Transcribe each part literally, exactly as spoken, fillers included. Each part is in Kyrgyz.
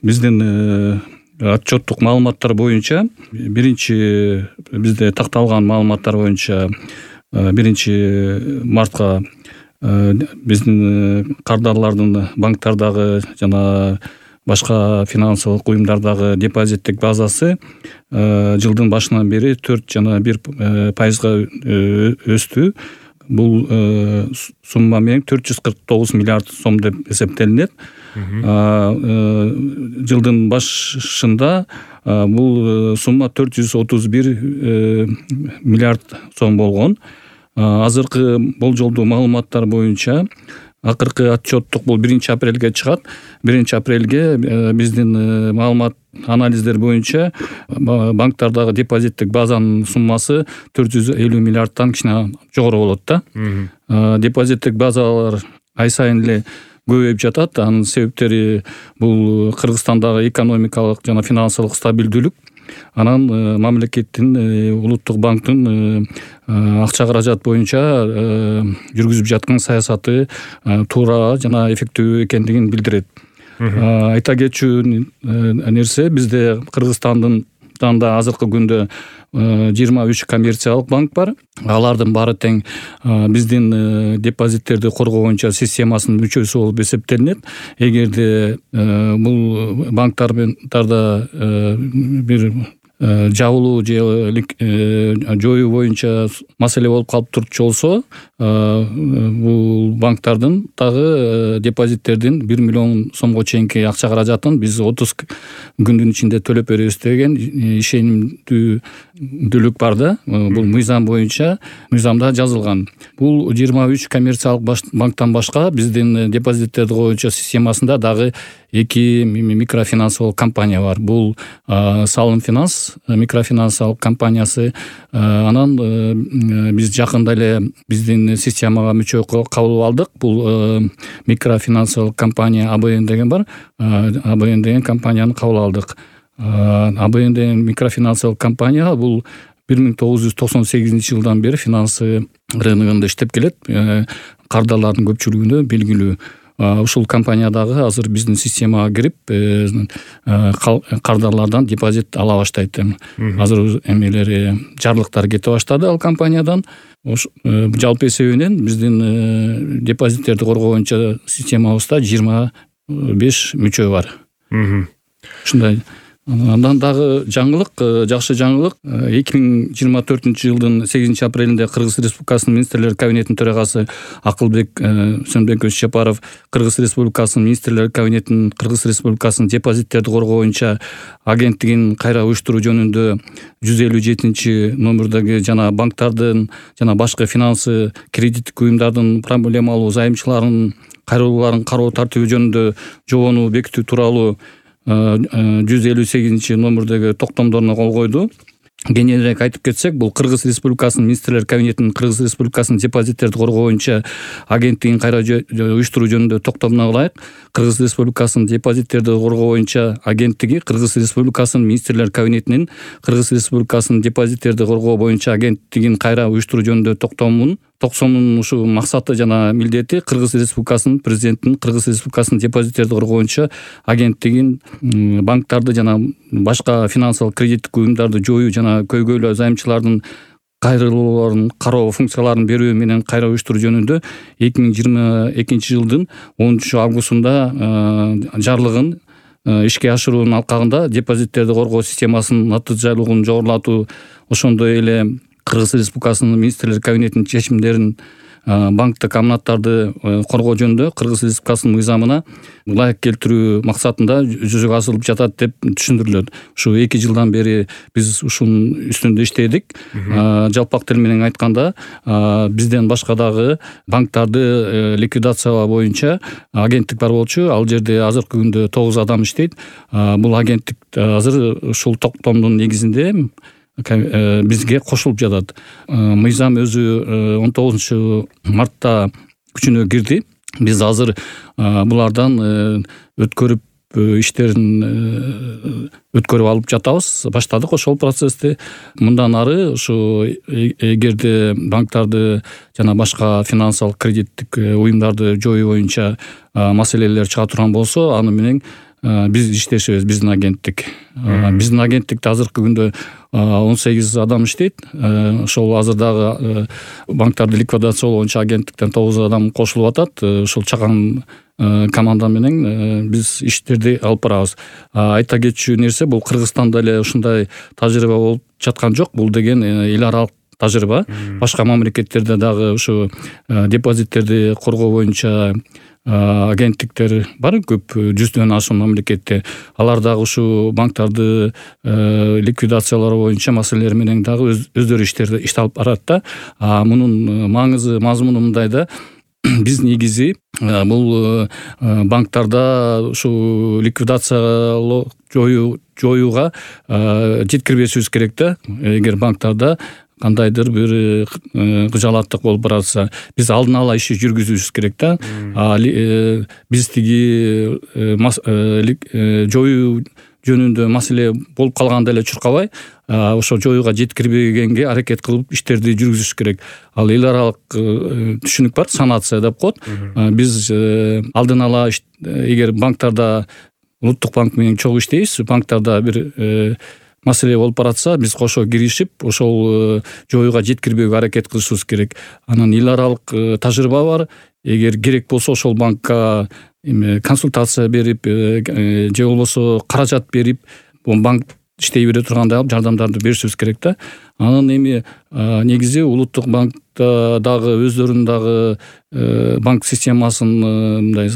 биздин отчеттук маалыматтар боюнча биринчи бизде такталган маалыматтар боюнча биринчи мартка биздин кардарлардын банктардагы жана башка финансылык уюмдардагы депозиттик базасы жылдын башынан бери төрт жана бир пайызга өстү. Бул сумма менен төрт жүз кырк тогуз миллиард сом деп эсептелинет. Жылдын башында бул сумма төрт жүз отуз бир миллиард сом болгон. Азыркы болжолдуу маалыматтар боюнча акыркы отчеттук бул биринчи апрелге чыгат. биринчи апрелге биздин маалымат анализдер боюнча банктардагы депозиттик базанын суммасы төрт жүз элүү миллиардтан кичине жогору болот да. Депозиттик базалар ай сайын эле көбөйүп жатат. Анын себептери бул Кыргызстандагы экономикалык жана финансылык стабилдүүлүк, анан мамлекеттин улуттук банктын акча каражат боюнча жүргүзүп жаткан саясаты туура жана эффективдүү экендигин билдирет. Айта кетчү нерсе, бизде Кыргызстандын да азыркы күндө жыйырма үч коммерциялык банк бар. Алардын баары тең биздин депозиттерди коргоо боюнча системасынын мүчөсү болуп эсептелинет. Эгерде бул банктарда бир жабылуу же жоюу боюнча маселе болуп калып турчу болсо, бул банктардын дагы депозиттердин бир миллион сомго чейинки акча каражатын биз отуз күндүн ичинде төлөп беребиз деген ишенимдүүлүк бар да. Бул мыйзам боюнча мыйзамда жазылган. Бул жыйырма үч коммерциялык банктан башка биздин депозиттерди боюнча системасында дагы эки микрофинансылык компания бар. Бул Салым Финанс микрофинансылык компаниясы. Анан биз жакында эле биздин системага мүчө кабыл алдык. Бул микрофинансылык компания А Б Н деген бар. А Б Н деген компанияны кабыл алдык. А Б Н деген микрофинансылык компания бул бир миң тогуз жүз токсон сегизинчи жылдан бери финансы рыногунда иштеп келет. Кардарлардын көпчүлүгүнө белгилүү. Ушул компаниядагы азыр биздин системага кирип кардарлардан депозит ала баштайт. Азыр эмелери жарлыктар кете баштады ал компаниядан. Жалпы эсебинен биздин депозиттерди коргоо боюнча системабызда жыйырма беш мүчө бар. Ушундай. Андан дагы жаңылык, жакшы жаңылык, эки миң жыйырма төртүнчү жылдын сегизинчи апрелинде Кыргыз Республикасынын министрлер кабинетинин төрагасы Акылбек Сөнбекович Жапаров Кыргыз Республикасынын министрлер кабинетинин Кыргыз Республикасынын депозиттерди коргоо боюнча агенттигин кайра уюштуруу жөнүндө жүз элүү жетинчи номердеги жана банктардын жана башка финансы кредиттик уюмдардын проблемалуу займчыларын кайрылууларын кароо тартиби жөнүндө жобону бекитүү тууралуу жүз элүү сегизинчи номердеги токтомдоруна кол койду. Кененирээк айтып кетсек, бул Кыргыз Республикасынын министрлер кабинетинин Кыргыз Республикасынын депозиттерди коргоо боюнча агенттигин кайра уюштуруу жөнүндө токтомуна ылайык, Кыргыз Республикасынын депозиттерди коргоо боюнча агенттиги Кыргыз Республикасынын министрлер кабинетинин Кыргыз Республикасынын депозиттерди коргоо боюнча агенттигин кайра уюштуруу жөнүндө токтомун токсонунун ушул максаты жана милдети Кыргыз Республикасынын президентинин Кыргыз Республикасынын депозиттерди коргоо боюнча агенттигин банктарды жана башка финансылык кредиттик уюмдарды жоюу жана көйгөйлүү займчылардын кайрылууларын кароо функцияларын берүү менен кайра уюштуруу жөнүндө эки миң жыйырма экинчи жылдын онунчу августунда жарлыгын ишке ашыруунун алкагында депозиттерди коргоо системасынын натыйжалуулугун жогорулатуу, ошондой эле Кыргыз Республикасынын министрлер кабинетинин чечимдерин банктык аманаттарды коргоо жөнүндө Кыргыз Республикасынын мыйзамына ылайык келтирүү максатында жүзөгө асырылып жатат деп түшүндүрүлөт. Ушу эки жылдан бери биз ушунун үстүндө иштедик. Жалпак тил менен айтканда, бизден башка дагы банктарды ликвидациялоо боюнча агенттик бар болчу. Ал жерде азыркы күндө тогуз адам иштейт. Бул агенттик азыр ушул токтомдун негизинде бизге кошулуп жатат. Мыйзам өзү он тогузунчу мартта күчүнө кирди. Биз азыр булардан өткөрүп иштерин өткөрүп алып жатабыз. Баштадык ошол процессти. Мындан ары ушу эгерде банктарды жана башка финансылык кредиттик уюмдарды жоюу боюнча маселелер чыга турган болсо, аны менен биз иштешебиз, биздин агенттик. Биздин агенттикте азыркы күндө он сегиз адам иштейт. Ошол азыр дагы банктарды ликвидациялоо боюнча агенттиктен тогуз адам кошулуп атат. Ошол чакан команда менен биз иштерди алып барабыз. Айта кетчү нерсе, бул Кыргызстанда эле ушундай тажрыйба болуп жаткан жок. Бул деген эл аралык тажрыйба. Башка мамлекеттерде дагы ушу депозиттерди коргоо боюнча агенттиктер бар, көп, жүздөн ашуун мамлекетте. Алар дагы ушу банктарды ликвидациялоо боюнча маселелер менен дагы өздөрү иштерди ишти алып барат да. Мунун маңызы, мазмуну мындайда, биз негизи бул банктарда ушу ликвидациялоо жоюу жоюуга жеткирбешибиз керек да. Эгер банктарда кандайдыр бир кыжаалаттык болуп баратса, биз алдын ала иши жүргүзүшүбүз керек да. Биз тиги жоюу жөнүндө маселе болуп калганда эле чуркабай, ошо жоюуга жеткирбегенге аракет кылып иштерди жүргүзүш керек. Ал эл аралык түшүнүк бар, санация деп коет. Биз алдын ала эгер банктарда Улуттук банк менен чогуу иштейбиз, банктарда бир маселе болуп баратса, биз кошо киришип, ошол жоюуга жеткирбөөгө аракет кылышыбыз керек. Анан эл аралык тажрыйба бар. Эгер керек болсо ошол банкка консультация берип, же болбосо каражат берип, банк иштей бере тургандай алып жардамдарды беришибиз керек да. Анан эми негизи Улуттук банкта дагы өздөрүнүн дагы банк системасын мындай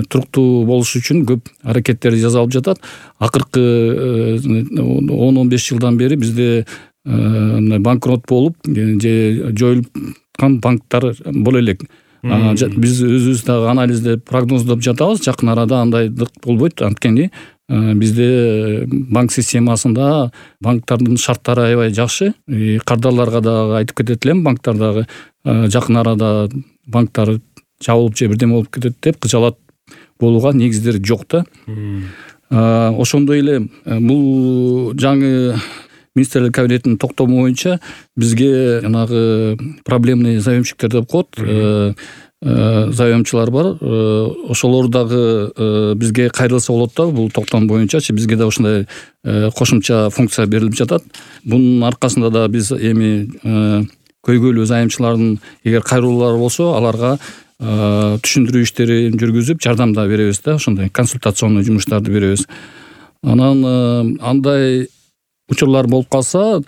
туруктуу болуш үчүн көп аракеттер жасалып жатат. Акыркы он он беш жылдан бери бизде банкрот болуп же жоюлган банктар боло элек. Биз өзүбүз дагы анализдеп, прогноздоп жатабыз. Жакын арада андайдык болбойт. Анткени бизде банк системасында банктардын шарттары аябай жакшы. Кардарларга дагы айтып кетет элем, банктар дагы жакын арада банктар жабылып же бирдеме болуп кетет деп кыжаалат болууга негиздер жок да. Ошондой эле бул жаңы министрлер кабинетинин токтому боюнча бизге жанагы проблемный заемщиктер деп коет. Заемчылар бар. Ошолор дагы бизге кайрылса болот да, бул токтом боюнчачы. Бизге да ушундай кошумча функция берилип жатат. Бунун аркасында да биз эми көйгөйлүү заемчылардын эгер кайрылуулары болсо, аларга түшүндүрүү иштерин жүргүзүп, жардам да беребиз да, ошондой консультационный жумуштарды беребиз. Анан андай учурлар болуп калса,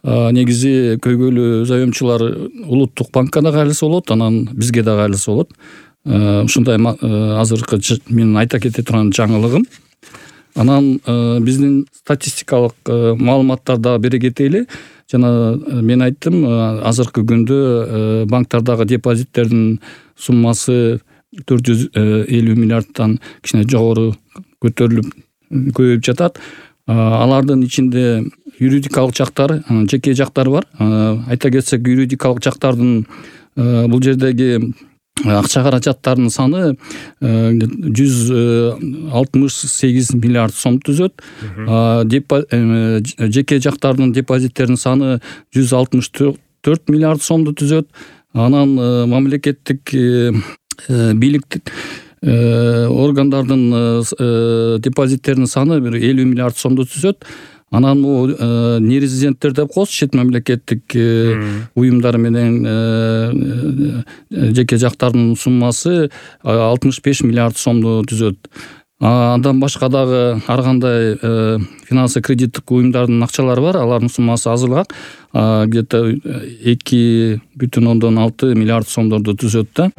негизи көйгөйлүү заемчылар Улуттук банкка да кайрылса болот, анан бизге да кайрылса болот. Ушундай азыркы менин айта кете турган жаңылыгым. Анан биздин статистикалык маалыматтарды бере кетели. Жана мен айттым, азыркы күндө банктардагы депозиттердин суммасы төрт жүз элүү миллиардтан кичине жогору көтөрүлүп көбөйүп жатат. Алардын ичинде юридикалык жактар, жеке жактар бар. Айта кетсек, юридикалык жактардын бул жердеги акча каражаттарынын саны жүз алтымыш сегиз миллиард сом түзөт. Жеке жактардын депозиттеринин саны жүз алтымыш төрт миллиард сомду түзөт. Анан мамлекеттик бийлик органдардын депозиттеринин саны бир элүү миллиард сомду түзөт. Анан бул нерезиденттер деп коебуз, чет мамлекеттик уюмдар менен жеке жактардын суммасы алтымыш беш миллиард сомду түзөт. Андан башка дагы ар кандай финансы кредиттик уюмдардын акчалары бар, алардын суммасы азыраак, где-то эки бүтүн ондон алты миллиард сомдорду түзөт да.